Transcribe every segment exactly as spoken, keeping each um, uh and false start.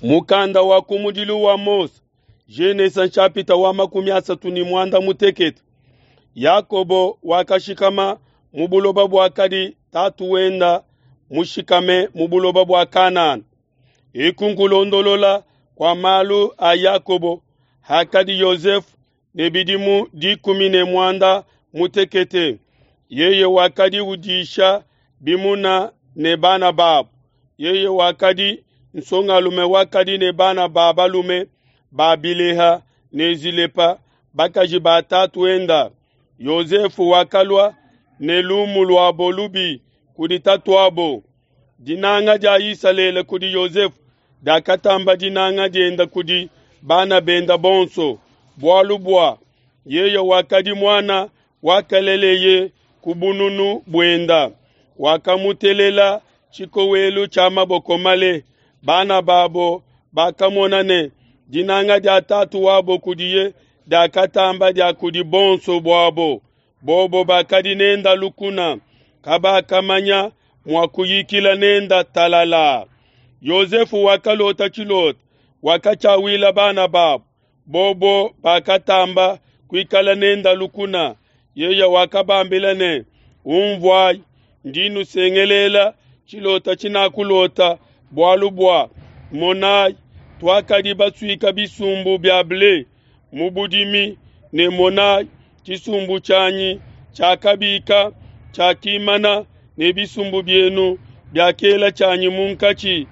Mukanda wa kumudilu wa Mose, Genesa nshapita wa makumi asatu ne muanda mutekete. Yakobo wakashikama mu buloba buakadi tatu wenda mushikame mu buloba bua Kanana. Eku nkulondolola kua malu a Yakobo hakadi Yosefe ne bidimu dikumi ne muanda mutekete. Yeye wakadi udisha bimuna ne bana babo. Yeye wakadi nsongalume wakadi ne bana ba balume ba Bileha ne Zilepa bakaji ba tatuenda. Yosefe wakalua ne lumu luabo lubi kudi tatuabo. Dinanga dia Isalele kudi Yosefe diakatamba dinanga dienda kudi bana benda bonso, bualu bua yeye wakadi muana wakaleleye ku bununu buenda. Wakamutelela tshikowelu tshia maboko male. Bana babo bakamona ne dinanga dia tatu wabo kudiye diakatamba dia kudi bonso buabo. Bobo bakadi nenda lukuna, kabakamanya mua kuyikila nenda talala. Yosefe wakalota tshilota, wakatshiawila bana babo. Bobo bakatamba kuikala nenda lukuna. Yeye wakabambila ne, umvuayi, ndi nusengelela tshilota tshinakulota, bualu bua monayi, tuakadi basuika bisumbu bia ble mu budimi, ne monayi, tshisumbu tshianyi tshiakabika tshiakimana, ne bisumbu bienu biakela tshianyi munkatshi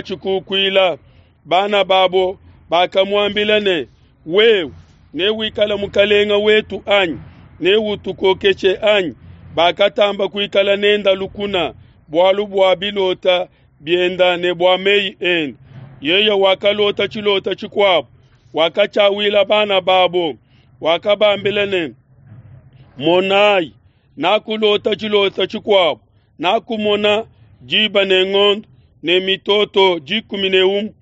biakatshikukuila. Bana babo bakamuambila ne, wewe newikale mukalenga wetu anyi? Neutukokeshe anyi? Bakatamba kuikala nenda lukuna bualu bua bilota bienda ne bua meyi ende. Yeye wakalota tshilota tshikuabo, wakatshiawila bana babo, wakabambila ne, monayi, nakulota tshilota tshikuabo, nakumona diba ne ngondo ne mitoto dikumi ne umue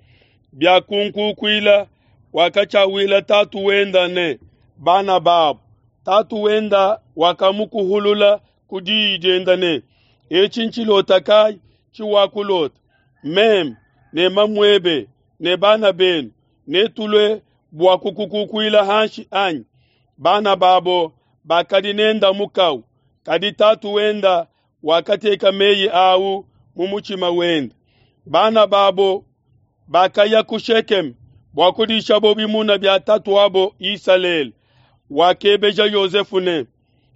biakunkukuila. Wakatshiawila tatu wenda ne bana babo. Tatu wenda wakamukuhulula ku diyi dienda ne, etshi ntshilota kayi tshiwakulota? Meme ne mamuebe ne bana benu netulue bua kukukukuila hanshi anyi? Bana babo bakadi nenda mukau, kadi tatu wenda wakateka meyi au mu mutshima wenda. Bana babo bakaya ku Shekeme bua kudishabo bimuna bia tatuabo Isalele. Wakebeja Yosefe ne,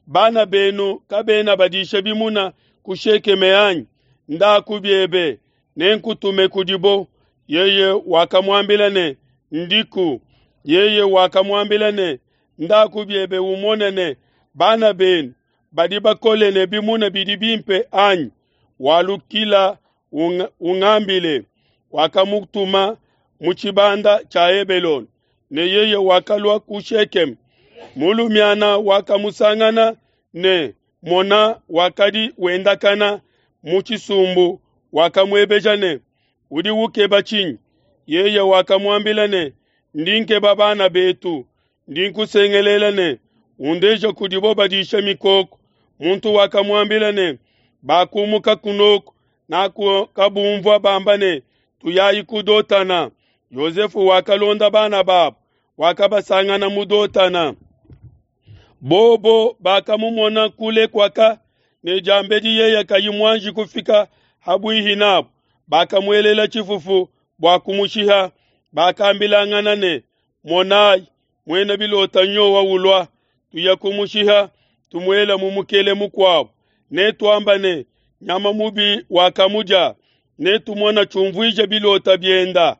bana benu kabena badisha bimuna ku Shekeme anyi? Ndaku biebe, nenkutume kudibo. Yeye wakamuambila ne, ndiku. Yeye wakamuambila ne, ndaku biebe umone ne bana benu badi bakole ne bimuna bidi bimpe anyi? Walukila ungambile. Wakamutuma mu tshibanda tshia Hebelone, ne yeye wakalua ku Shekeme. Mulumiana wakamusangana ne mona wakadi wendakana mu tshisumbu, wakamuebeja ne, udi ukeba tshinyi? Yeye wakamuambila ne, ndi nkeba bana betu, ndi nkusengelela ne, undeje kudibo badisha mikoko. Muntu wakamuambila ne, bakumuka kunoko, nakabumvua bamba ne, tuyayi ku Dotana. Yosefe wakalonda bana babo, wakabasangana mu Dotana. Bobo bakamumona kule kwaka, ne diambedi yeye kayi muanji kufika habuihi nabo, bakamuelela tshifufu bua kumushiha. Bakambilangana ne, monayi, muena bilota nyowa ulua, tuya kumushiha, tumuela mu mukele mukuabo. Ne tuamba ne, nyama mubi wakamudia, ne tumona tshiumvuija bilota bienda.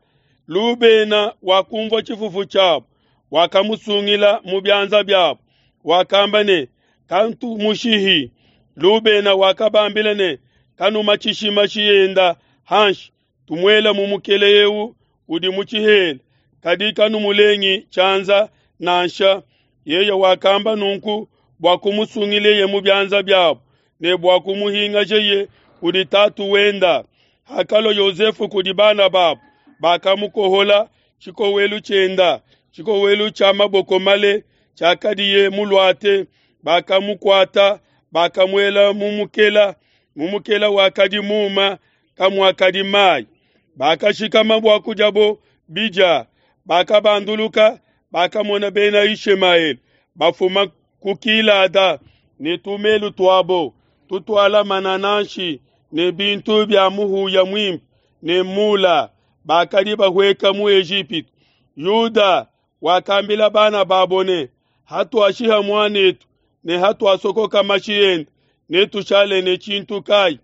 Lubena wakumvua tshifufu tshiabo, wakamusungila mu bianza biabo. Wakamba ne, kantumushihi. Lubena wakabambila ne, kanumatshishi mashi enda hanshi, tumuela mu mukele eu udi mu tshihela, kadi kanumulengi tshianza nansha. Yeye wakamba nunku bua kumusungileye mu bianza biabo ne bua kumuhingajeye kudi tatu wenda. Hakalua Yosefe kudi bana babo, bakamukohola tshikowelu tshienda, tshikowelu tshia maboko male tshiakadiye muluate. Bakamukuata, bakamuela mu mukela, mu mukela wakadi muma kamuakadi mai. Bakashikama bua kudiabo bidia, bakabanduluka, bakamona Bena Yishemaele bafuma ku Gilada ne tumelu tuabo tutuala manananshi ne bintu bia muhuya muimpe ne mula, bakadi bahueka mu Ejipitu. Yuda wakambila bana babo ne, Hatuashiha muan'etu ne hatuasokoka mashi ende, netushale ne tshintu kai?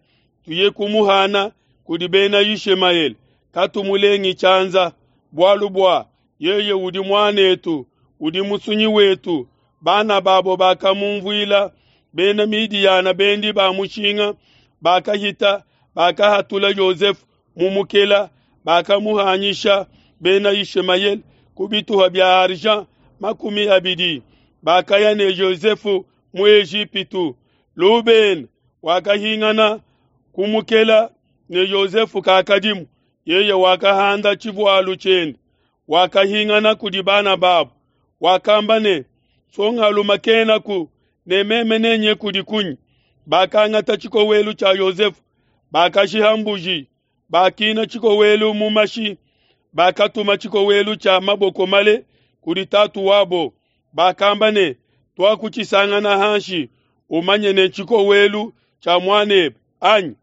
Tuye kumuhana kudi Bena Yishemaele, katumulengi tshianza, bualu bua yeye udi muan'etu, udi musunyi wetu. Bana babo bakamunvuila. Bena Midiyana bendi ba mushinga bakahita, bakahatula Yosefe mu mukela, bakamuhanyisha Bena Yishemaele ku bituha bia argent makumi abidi. Bakaya ne Yosefe mu Ejipitu. Lubena wakahingana ku mukela ne Yosefe kakadimu, yeye wakahanda tshivualu tshiende, wakahingana kudi bana babo, wakamba ne, Nsongalume kenaku, ne meme nenye kudi kunyi? Bakangata tshikowelu tshia Yosefe, bakashiha mbuji, bakina tshikowelu mu mashi, bakatuma tshikowelu tshia maboko male kudi tatu wabo. Bakamba ne, Tuakutshisangana hanshi, umanye ne tshikowelu tshia muanebe, anyi?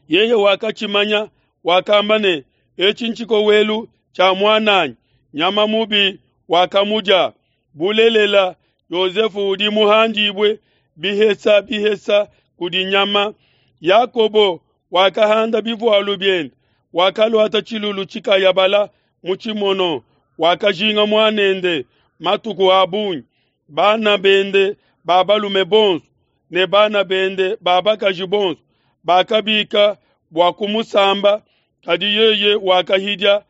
Yeye wakatshimanya, wakamba ne, Etshi ntshikowelu tshia muananyi, nyama mubi wakamudia. Bulelela, Yosefe udi muhandibue bihesa bihesa kudi nyama. Yakobo wakahanda bivualu biende, wakaluata tshilulu tshikayabala mu tshimono, wakajinga muanende matuku a bungi. Bana bende ba balume bonso ne bana bende ba bakaji bonso bakabika bua kumusamba, kadi yeye wakahidia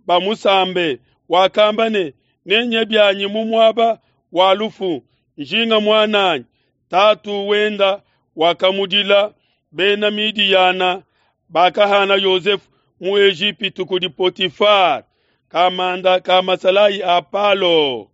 bamusambe. Wakamba ne, Nenye bianyi mu muaba wa lufu, njinga muananyi. Tatu wenda wakamudila. Bena Midiyana bakahana Yosefe mu Ejipitu kudi Potifar, kamanda ka masalayi a Palo.